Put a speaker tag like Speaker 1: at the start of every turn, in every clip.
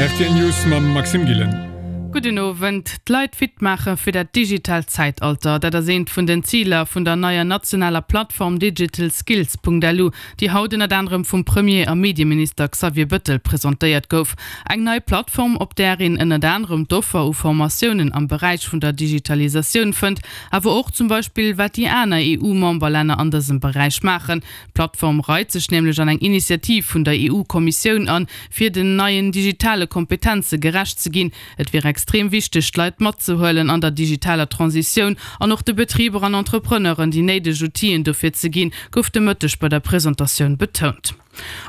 Speaker 1: Rtl News mam Maxime Gillen.
Speaker 2: Gudden Owend. D'Leit fit maache fir dat digitaalt Zäitalter, dat ass eent vun den Ziler vun der neier nationaler Plattform digitalskills.lu, déi haut ënnert anerem vum Premier a Medieminister Xavier Bëttel presentéiert gouf. Eng nei Plattform, op där een ënnert anerem d'Offer u Formatiounen am Beräich vun der Digitalisatioun fënnt, awer och zum Beispill wat déi aner EU-Memberlänner an dësem Beräich maachen. D'Plattform reit sech nämlech an eng Initiativ vun der EU-Kommissioun an, fir den neien digitale Kompetenze gerecht ze ginn. Et wier extrem wichteg, d'Leit matzehuelen an der digitaler Transitioun an och de Betriber an Entrepreneuren déi néideg Outiller dofir ze ginn, gouf de Mëtteg bei der Presentatioun betount.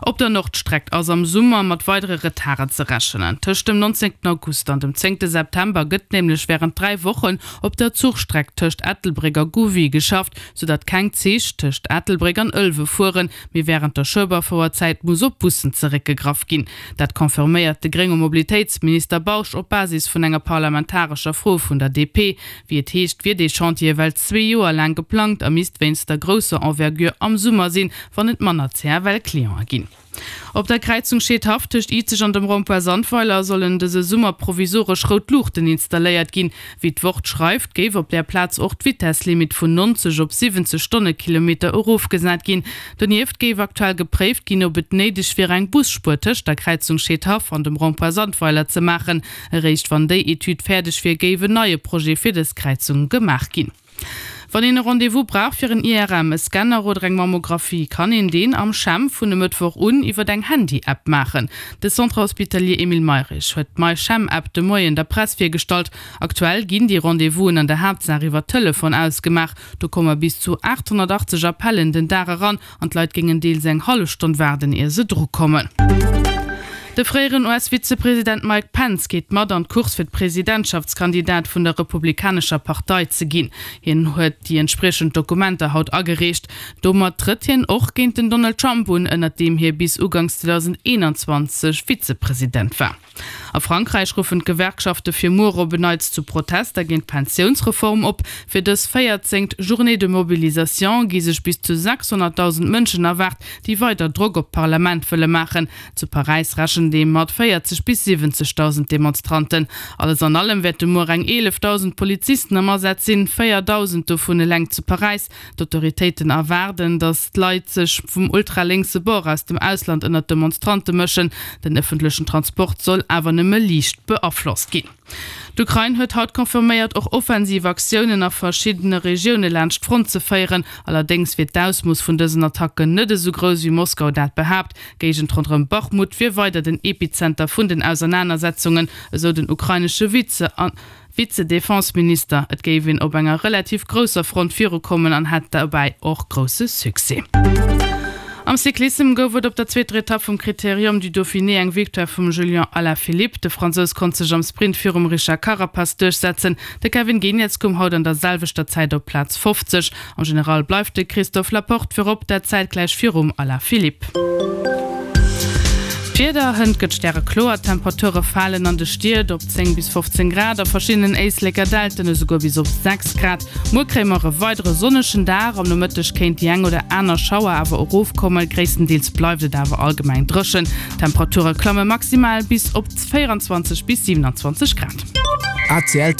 Speaker 2: Op der Nordstreck ass am Summer mat weidere Retarden ze rechnen. Tëscht dem 19 August an dem 10 September gëtt nämlech wärend 3 Wochen op der Zuchstreck tëscht Ettelbréck a Gouvy geschafft, soudatt keng Zich tëscht Ettelbréck an Ëlwe fueren, mee wärend der Schueberfouerzäit muss op Bussen zeréckgegraff ginn. Dat confirméiert de grénge Mobilitéitsminister Bausch op Basis vun enger parlamentarescher Fro vun der DP. Wéi et heescht, wier dee Chantier ewell zwee Joer laang geplangt a misst wéinst der grousser Envergure am Summer sinn, wann et manner CFL-Cliente ginn. Op der Kräizung Scheedhaff tëscht Izeg an dem Rond-point Sandweiler sollen dëse Summer provisoresch rout Luuchten installéiert ginn. Wéi d'Wort schreift, géif op där Plaz och d'Vitesslimit vun 90 op 70 Stonnekilometer erofgesat ginn. Donieft géif aktuell gepréift ginn, ob et néideg wier eng Busspuer tëscht der Kräizung Scheedhaff an dem Rond-point Sandweiler ze maachen. Eréischt wann déi Etüd fäerdeg wier, géif en neie Projet fir dës Kräizung gemaach ginn. Wann een e Rendez-vous brauch fir en IRM, e Scanner oder eng Mammographie, kann een deen am CHEM vun e Mëttwoch un iwwer eng Handy-App maachen. De Centre Hospitalier Emile Mayrisch huet d'MyChem-App de Moien der Press virgestallt. Aktuell ginn déi Rendez-vousen an der Haaptsaach iwwer Telefon ausgemaach. Do komme bis zu 880 Appellen den Dag eran An d'Leit géingen deels eng hallef Stonn waarden, ier se dru kommen. De fréieren US-Vizepresident Mike Pence geet mat an d'Course fir d'Presidentschaftskandidat vun der Republikanescher Partei ze ginn. Hien huet déi entspriechend Dokumenter haut agereecht. Domat trëtt hien och géint den Donald Trump un, ënnert deem hie bis uganks 2021 Vizepresident war. A Frankräich ruffen d'Gewerkschafte fir muer op en Neits zu Protester géint d'Pensiounsreform op. Fir dës véierzéngt Journée de mobilisation gi sech bis zu 600.000 Mënschen erwaart, déi weider Drock op d'Parlament wëlle maachen. Zu Paräis rechent ee mat 40 bis 70.000 Demonstranten. Alles an allem wäerte muer eng 11.000 Polizisten am Asaz sinn, 4.000 dovun eleng zu Paräis. D'Autoritéiten erwaarden, datt d'Leit sech vum ultralénkse Bord aus dem Ausland ënnert d'Demonstrante mëschen. Den ëffentlechen Transport soll awer nëmme liicht beaflosst ginn. D'Ukrain huet haut confirméiert, och offensiv Aktiounen a verschiddene Regioune laanscht d'Front ze féieren. Allerdéngs wier d'Ausmooss vun dësen Attacken net esou grouss, wéi Moskau dat behaapt. D'Géigend ronderëm Bachmut wier weider den Epizenter vun den Ausernanersetzungen, esou den ukrainesche Vize. Vize-Defense-Minister, et géif een op enger relativ grousser Front virukommen an hätt dobäi och grousse Succès. Am Cyclissem gouf et op der zweeter Etapp vum Critérium du Dauphiné eng Victoire vum Julian Alaphilippe. De Fransous konnt sech am Sprint virum Richard Carapaz duerchsetzen. De Kevin Geniets koum haut an der selwechter Zäit op Plaz 50. Am General bleift de Christophe Laporte virop, dat zäitgläich virum Alaphilippe. D'Wieder, Hënt gëtt stärekloer, d'Temperature falen an de Stied op 10 bis 15 Grad, a verschiddenen Éisleker Dälten esouguer bis op 6 Grad. Muer kréie mer e weidere sonnegen Dag, am Nomëtteg kéint déi eng oder aner Schauer awer erofkommen, gréisstendeels bleift et awer allgemeng dréchen. D'Temperature klamme maximal bis op 24 bis 27 Grad.
Speaker 3: ACL.